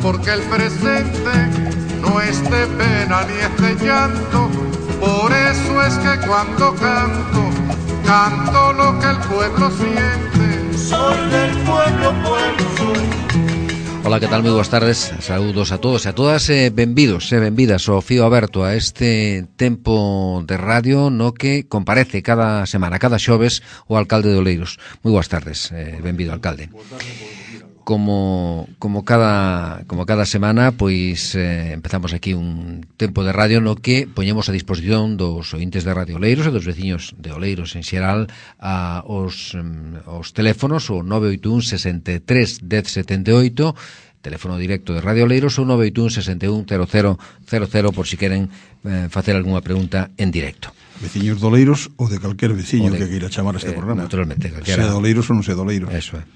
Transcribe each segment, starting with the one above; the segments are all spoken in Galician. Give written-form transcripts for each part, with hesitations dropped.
porque el presente no es de pena ni es de llanto. Por eso es que cuando canto, canto lo que el pueblo siente. Soy del pueblo, pueblo soy. Ola, que tal? Moi boas tardes, saúdos a todos e a todas, benvidos e benvidas ao fío aberto a este tempo de radio no que comparece cada semana, cada xoves, o alcalde de Oleiros. Moi boas tardes, benvido, alcalde. Como cada semana, pois empezamos aquí un tempo de radio no que poñemos a disposición dos ointes de Radio Oleiros e dos veciños de Oleiros en xeral os teléfonos, o 981 63 10 78, teléfono directo de Radio Oleiros, ou 981 61 00 00 por si queren facer algunha pregunta en directo. Veciños de Oleiros ou de calquer veciño que queira chamar a este programa. Naturalmente, calquera. Sea de Oleiros ou non sea de Oleiros. Eso é.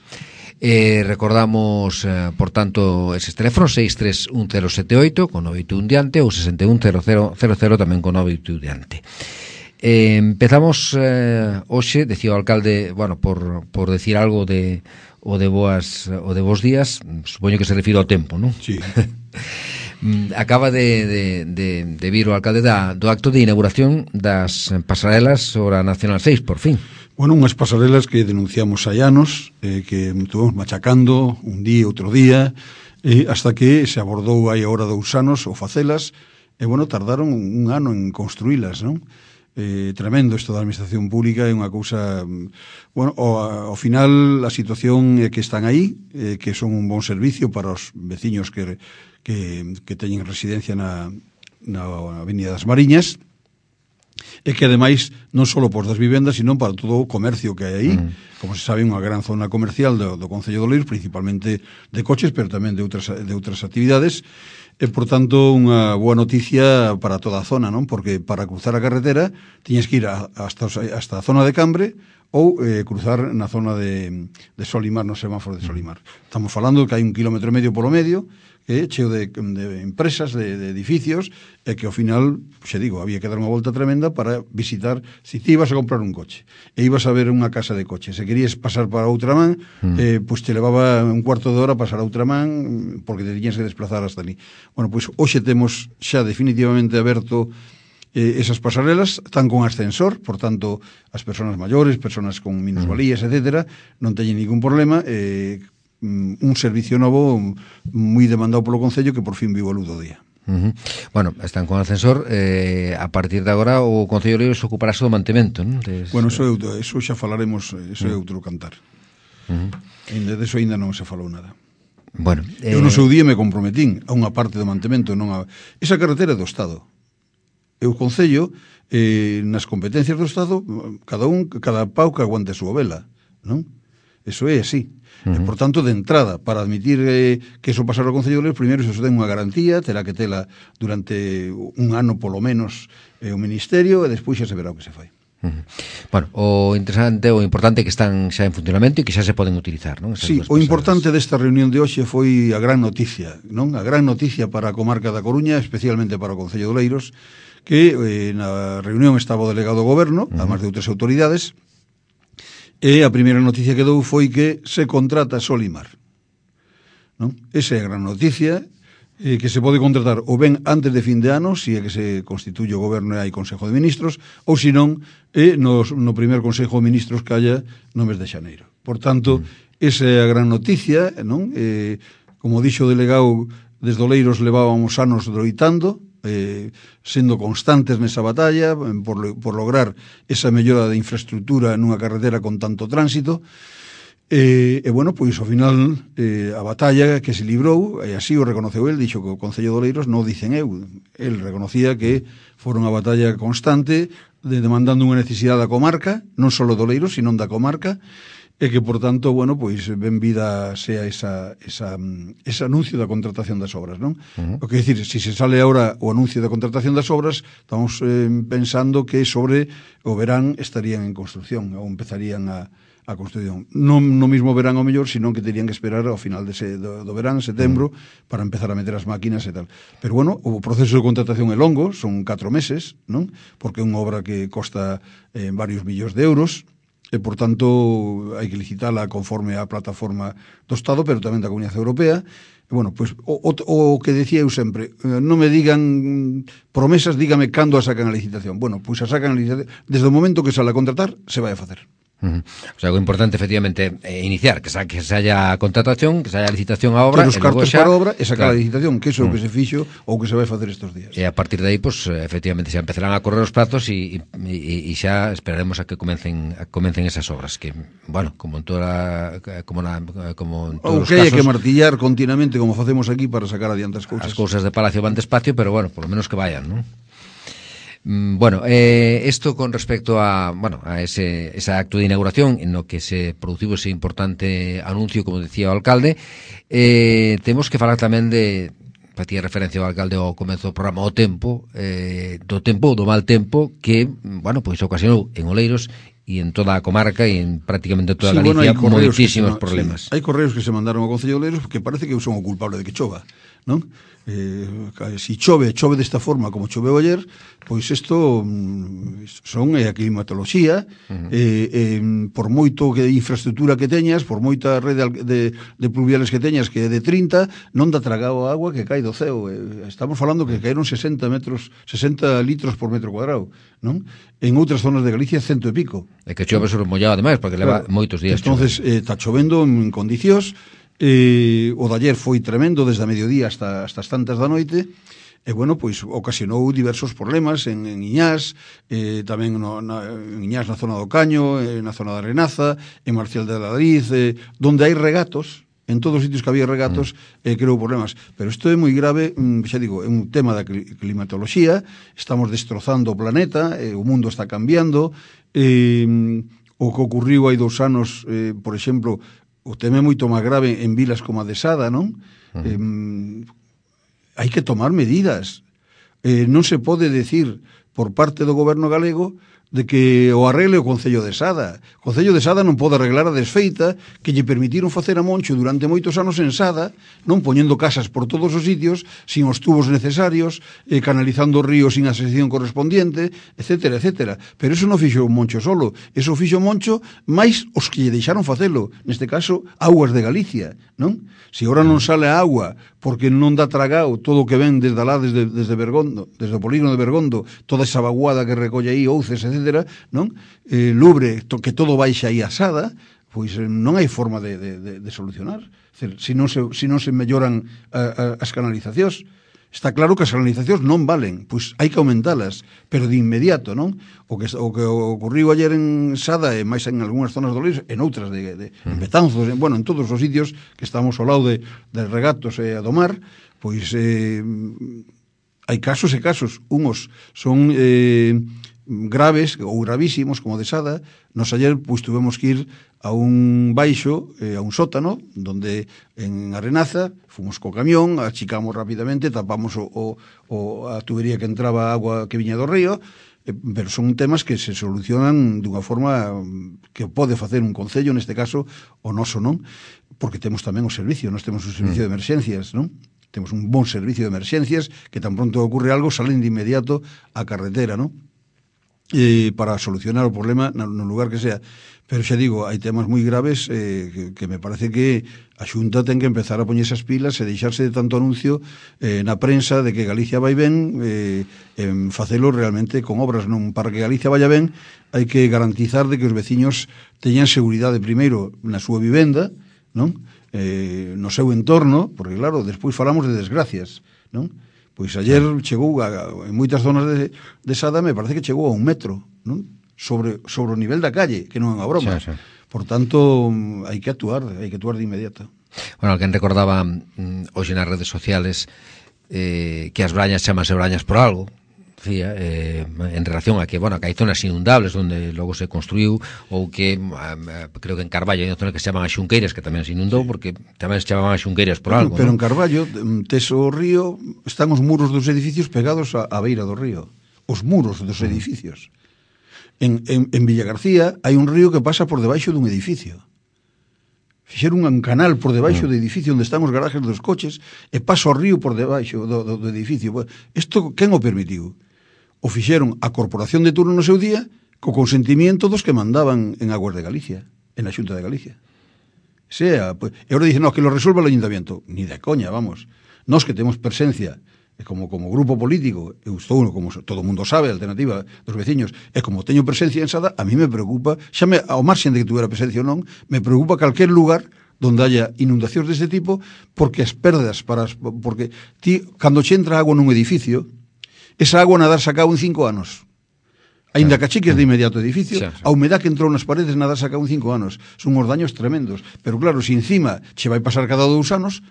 Recordamos, por tanto, eses teléfonos 63178 con 981 diante ou 610000 tamén con 981 diante. Empezamos hoxe, decía o alcalde, bueno, por decir algo de bos días, supoño que se refiro ao tempo, non? Sí. Acaba de vir o alcalde do acto de inauguración das pasarelas sobre a Nacional 6, por fin. Bueno, unhas pasarelas que denunciamos hai anos, que estuvemos machacando un día, outro día, hasta que se abordou hai agora 2 anos o facelas, e, bueno, tardaron un ano en construílas, non? Tremendo isto da administración pública, é unha cousa, bueno, ao final a situación é que están aí, que son un bon servicio para os veciños que teñen residencia na Avenida das Mariñas, e que ademais non só por das vivendas, sino para todo o comercio que hai aí. Como se sabe, unha gran zona comercial do Concello de Oleiros, principalmente de coches, pero tamén de outras actividades, e, por tanto, unha boa noticia para toda a zona, non? Porque para cruzar a carretera tiñes que ir hasta a zona de Cambre ou cruzar na zona de Solimar, no semáforo de Solimar. Estamos falando que hai 1,5 km polo medio, cheo de empresas, de edificios, e que ao final, xe digo, había que dar unha volta tremenda para visitar, si ti ibas a comprar un coche e ibas a ver unha casa de coches, se querías pasar para outra man, pois te levaba un cuarto de hora pasar a outra man, porque te tiñas que desplazar hasta ali. Bueno, pois hoxe temos xa definitivamente aberto esas pasarelas, están con ascensor, por tanto, as persoas maiores, persoas con minusvalías, etcétera, non teñen ningún problema, un servicio novo moi demandado polo Concello que por fin vivo a luz do día. Bueno, están con ascensor, a partir de agora o Concello de Oleiros ocuparase do mantemento, non? Bueno, eso xa falaremos, eso é outro cantar. De eso ainda non se falou nada. Bueno, eu no seu día me comprometín a unha parte do mantemento, non a... Esa carretera é do Estado. E o Concello, nas competencias do Estado, cada pau que aguante a súa vela, non? Eso é así. E, por tanto, de entrada, para admitir que eso pasara ao Concello de Oleiros, primeiro se ten unha garantía, terá que tela durante un ano polo menos o Ministerio, e despois xa se verá o que se fai. Bueno, o interesante, o importante é que están xa en funcionamento e que xa se poden utilizar, non? Sí, o importante desta reunión de hoxe foi a gran noticia, non? A gran noticia para a comarca da Coruña, especialmente para o Concello de Oleiros, que na reunión estaba o delegado do Goberno, además de outras autoridades, e a primeira noticia que dou foi que se contrata Solimar, non? Esa é a gran noticia, que se pode contratar ou ben antes de fin de ano, se é que se constituye o Goberno e hai Consejo de Ministros, ou se non, no primer Consejo de Ministros que haya no mes de xaneiro. Por tanto, esa é a gran noticia, non? Como dixo o delegado, desde Oleiros levábamos anos droitando, sendo constantes nesa batalla por lograr esa mellora de infraestructura nunha carretera con tanto tránsito, e bueno, pois ao final a batalla que se librou, e así o reconoceu el, dixo que o Concello de Oleiros non dicen eu, el reconocía que fora unha batalla constante demandando unha necesidade da comarca, non só de Oleiros, sino da comarca, e que, por tanto, bueno, pois ben vida sea ese anuncio da contratación das obras, non? O que decir, se sale agora o anuncio da contratación das obras, estamos pensando que sobre o verán estarían en construcción, ou empezarían a construcción. Non no mismo verán ao mellor, sino que terían que esperar ao final do verán, setembro, para empezar a meter as máquinas e tal. Pero, bueno, o proceso de contratación é longo, son 4 meses, non? Porque é unha obra que costa varios millóns de euros, e, por tanto, hai que licitala conforme a plataforma do Estado, pero tamén da Comunidade Europea. E, bueno, pois, o que decía eu sempre, non me digan promesas, dígame cando a sacan a licitación. Bueno, pois a sacan a licitación, desde o momento que sale a contratar, se vai a facer. O sea, o importante, efectivamente, é iniciar, que se haya contratación, que se haya licitación a obra, ter os cartos para a obra e sacar claro, a licitación, que iso é o que se fixo ou que se vai facer estes días. E a partir de aí, pues, efectivamente, xa empezarán a correr os plazos e xa esperaremos a que comecen esas obras, que, bueno, como en toda como en todos os casos, hai que martillar continuamente como facemos aquí para sacar adiante as cousas. As cousas de Palacio van despacio, pero, bueno, por lo menos que vayan, ¿no? Bueno, esto con respecto a esa acto de inauguración en lo que se produciu ese importante anuncio, como decía o alcalde, temos que falar tamén de, facía referencia ao alcalde ao comezo do programa, do mal tempo que, bueno, pois ocasionou en Oleiros e en toda a comarca e en prácticamente toda Galicia moitísimos problemas. Hai correos que se mandaron ao Concello de Oleiros porque parece que son o culpable de que chova, non? Si chove desta forma como choveu ayer, pois isto son a climatoloxía. Por moito que de infraestructura que teñas, por moita rede de pluviales que teñas, que é de 30, non dá tragado a agua que cae do ceo. Estamos falando que caeron 60 litros por metro cuadrado, non? En outras zonas de Galicia 100 e pico. É que chove sobre mollado ademais, porque leva moitos días. Entonces, está chovendo en condicións. O de ayer foi tremendo desde a mediodía hasta as tantas da noite, e, bueno, pois ocasionou diversos problemas en Iñás, tamén en Iñás na zona do Caño, na zona da Renaza, en Marcial de Ladriz, donde hai regatos, en todos os sitios que había regatos, creou problemas. Pero isto é moi grave, xa digo, é un tema da climatoloxía, estamos destrozando o planeta, o mundo está cambiando, o que ocurriu hai 2 anos, por exemplo, o tema é moito máis grave en vilas como a de Sada, non? Hai que tomar medidas. Non se pode decir por parte do goberno galego de que o arregle o Concello de Sada. O Concello de Sada non pode arreglar a desfeita que lle permitiron facer a Moncho durante moitos anos en Sada, non poñendo casas por todos os sitios, sin os tubos necesarios, canalizando o río sin a sección correspondiente, etcétera, etcétera. Pero eso non fixo o Moncho solo, eso fixo o Moncho máis os que lle deixaron facelo, neste caso, Augas de Galicia, non? Se ora non sale a agua porque non dá tragao todo o que ven desde alá, desde Bergondo, desde o polígono de Bergondo, toda esa vaguada que recolle aí, ouces, etcétera, non? Lubre, que todo baixa aí a Sada, pois non hai forma de solucionar. Se non se melloran as canalizacións, está claro que as canalizacións non valen, pois hai que aumentalas, pero de inmediato, non? O que ocorriu ayer en Sada e máis en algunhas zonas do Oleiros, en outras en Betanzos, en todos os sitios que estamos ao lado de regatos e a do mar, pois hai casos e casos. Unhos son graves ou gravísimos, como de Sada. Nos ayer pois tuvemos que ir a un baixo, a un sótano, donde en Arenaza fomos co camión, achicamos rapidamente, tapamos a tubería que entraba agua que viña do río, pero son temas que se solucionan dunha forma que pode facer un concello, neste caso o noso, non? Porque temos tamén o servicio, nós temos un servicio de emerxencias, non? Temos un bon servicio de emerxencias que tan pronto ocurre algo salen de inmediato á carretera, non? Para solucionar o problema no lugar que sea. Pero xa digo, hai temas moi graves que me parece que a Xunta ten que empezar a poñer esas pilas e deixarse de tanto anuncio na prensa de que Galicia vai ben, en facelo realmente con obras. Non, para que Galicia vaya ben hai que garantizar de que os veciños teñan seguridade primeiro na súa vivenda, non? No seu entorno, porque claro, despois falamos de desgracias, non? Pois ayer chegou en moitas zonas de Sada, me parece que chegou a 1 metro, non? Sobre o nivel da calle, que non é unha broma. Sí. Por tanto, hai que actuar de inmediato. Bueno, alguén recordaba hoxe nas redes sociales que as brañas chamanse brañas por algo, decía, en relación a que, bueno, que hai zonas inundables onde logo se construiu, ou que creo que en Carballo hai unha zona que se chaman as Xunqueiras, que tamén se inundou, porque tamén se chamaban as Xunqueiras por algo. Pero en Carballo, tes o río, están os muros dos edificios pegados á beira do río. Os muros dos edificios. En Villagarcía hai un río que pasa por debaixo dun edificio. Fixeron un canal por debaixo do edificio onde están os garajes dos coches e pasa o río por debaixo do edificio. Isto, quen o permitiu? O fixeron a corporación de turno no seu día, co consentimiento dos que mandaban en Aguas de Galicia, en a Xunta de Galicia. Sea, pues, e ahora dicen, no, que lo resuelva o Ayuntamiento. Ni de coña, vamos. Nós que temos presencia como grupo político, eu estou, como todo o mundo sabe, a alternativa dos veciños, e como teño presencia en Sada, a mí me preocupa, ao marxen de que tuvera presencia ou non, me preocupa calquer lugar donde haya inundacións deste tipo, porque as perdas, porque ti, cando che entra agua nun edificio, esa agua nadar sacao en 5 anos. Ainda que achiques de inmediato o edificio, a humedad que entrou nas paredes nadar sacao en 5 anos. Son uns daños tremendos. Pero claro, se encima che vai pasar cada 2 anos,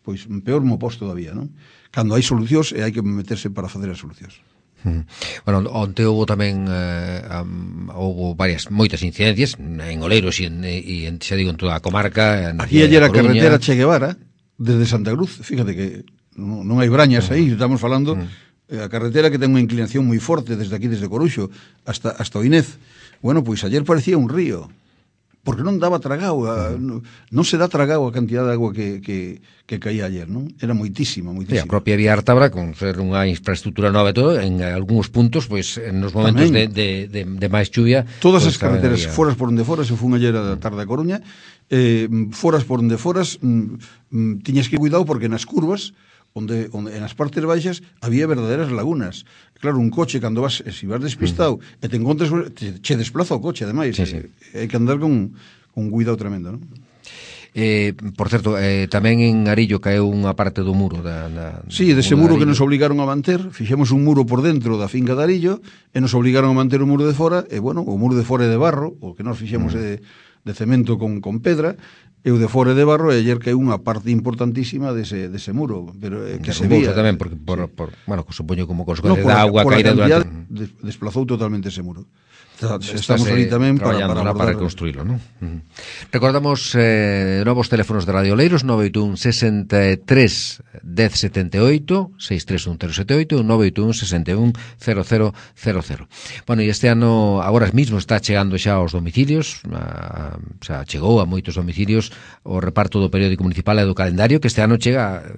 pois peor mo pos todavía, non? Cando hai solucións e hai que meterse para facer as solucións. Bueno, onte houve tamén houve moitas incidencias en Oleiros e xa digo en toda a comarca. Aquí ayer a carretera Che Guevara desde Santa Cruz, fíjate que non hai brañas aí, estamos falando a carretera que ten unha inclinación moi forte desde aquí, desde Coruxo hasta o Inés. Bueno, pois ayer parecía un río, porque non daba tragao, non se dá tragao a cantidad de agua que caía ayer, non? Era moitísima. Sí, a propia vía Ártabra, con ser unha infraestructura nova e todo, en algúns puntos, pois, nos momentos de máis chuvia... Todas as carreteras, foras por onde foras, se fun ayer a tarde a Coruña, foras por onde foras, tiñas que cuidado porque nas curvas, onde en as partes baixas había verdaderas lagunas. Claro, un coche, cando vas, se vas despistado e te encontres, che desplaza o coche, ademais. Hai que andar con cuidado tremendo, non? Por certo, tamén en Arillo caeu unha parte do muro sí, dese muro que nos obligaron a manter. Fixemos un muro por dentro da finca de Arillo e nos obligaron a manter o muro de fora. E bueno, o muro de fora é de barro, o que nos fixemos é de cemento con pedra, e o de fora de barro, e ayer caeu unha parte importantísima dese muro, pero que se vía tamén porque bueno, supoño como consecuencia da auga caída durante desplazou totalmente ese muro. Estamos ali tamén para reconstruílo, non? Recordamos novos teléfonos de Radio Oleiros, 981 63 1078, 631 078, 981 61 0000. Bueno, e este ano agora mesmo está chegando xa aos domicilios, xa chegou a moitos domicilios o reparto do periódico municipal e do calendario, que este ano chega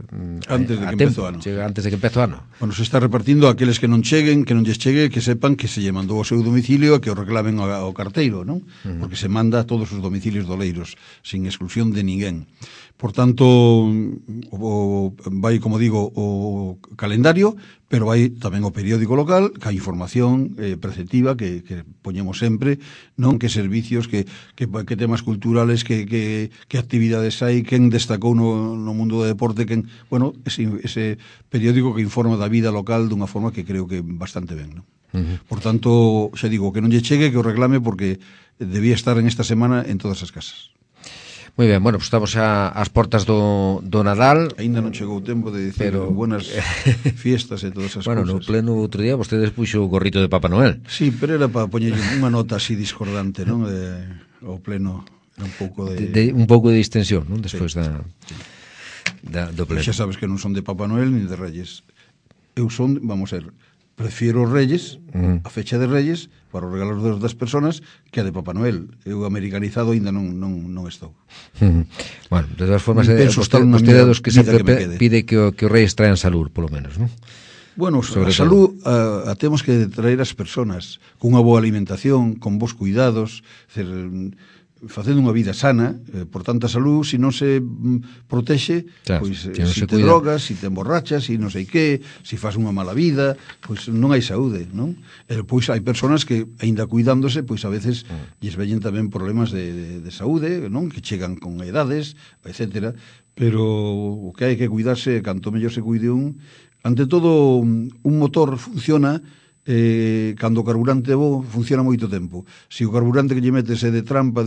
antes de que empece o ano. Chega antes de que empece o ano. Bueno, se está repartindo a aqueles que non cheguen, que non lles chegue, que sepan que se lle mandou ao seu domicilio, que o reclamen ao carteiro, non? Porque se manda a todos os domicilios do Oleiros, sin exclusión de ninguén. Por tanto, vai, como digo, o calendario, pero vai tamén o periódico local, que a información preceptiva que poñemos sempre, non? Que servicios, que temas culturales, que actividades hai, quen destacou no mundo do deporte, bueno, ese periódico que informa da vida local dunha forma que creo que bastante ben, non? Por tanto, xa digo, que non lle chegue, que o reclame, porque debía estar en esta semana en todas as casas. Moi ben, bueno, pues estamos ás portas do Nadal. Ainda non chegou o tempo de dicir buenas fiestas e todas esas bueno, cousas. No pleno outro día vostedes puxo o gorrito de Papá Noel. Sí, pero era para poñer unha nota así discordante, non? O pleno era un pouco un pouco de distensión, non? Despois do pleno. Xa sabes que non son de Papá Noel ni de Reyes. Eu son, vamos a ver, prefiero os Reyes, a fecha de Reyes, para os regalos das persoas, que a de Papá Noel. Eu americanizado ainda non estou. Bueno, de todas formas, vostede dos que sempre pide que os Reyes traen salud, polo menos, non? Bueno, a salud a temos que traer as persoas con unha boa alimentación, con bons cuidados, facendo unha vida sana, por tanta salud, se non se protexe, pois se te drogas, se te emborrachas, se non sei que, se faz unha mala vida, pois non hai saúde, non? E pois hai persoas que, aínda cuidándose, pois a veces lles veñen tamén problemas de saúde, non? Que chegan con edades, etcétera, pero o que hai que cuidarse, canto mellor se cuide ante todo, un motor funciona cando o carburante bo funciona moito tempo. Se o carburante que lle metes é de trampa,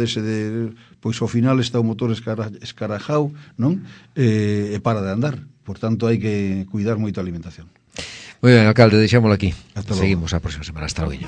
pois ao final está o motor escarajao, non? E para de andar. Por tanto, hai que cuidar moito a alimentación. Moi ben, alcalde, deixámoslo aquí. Hasta Seguimos a próxima semana. Hasta logo.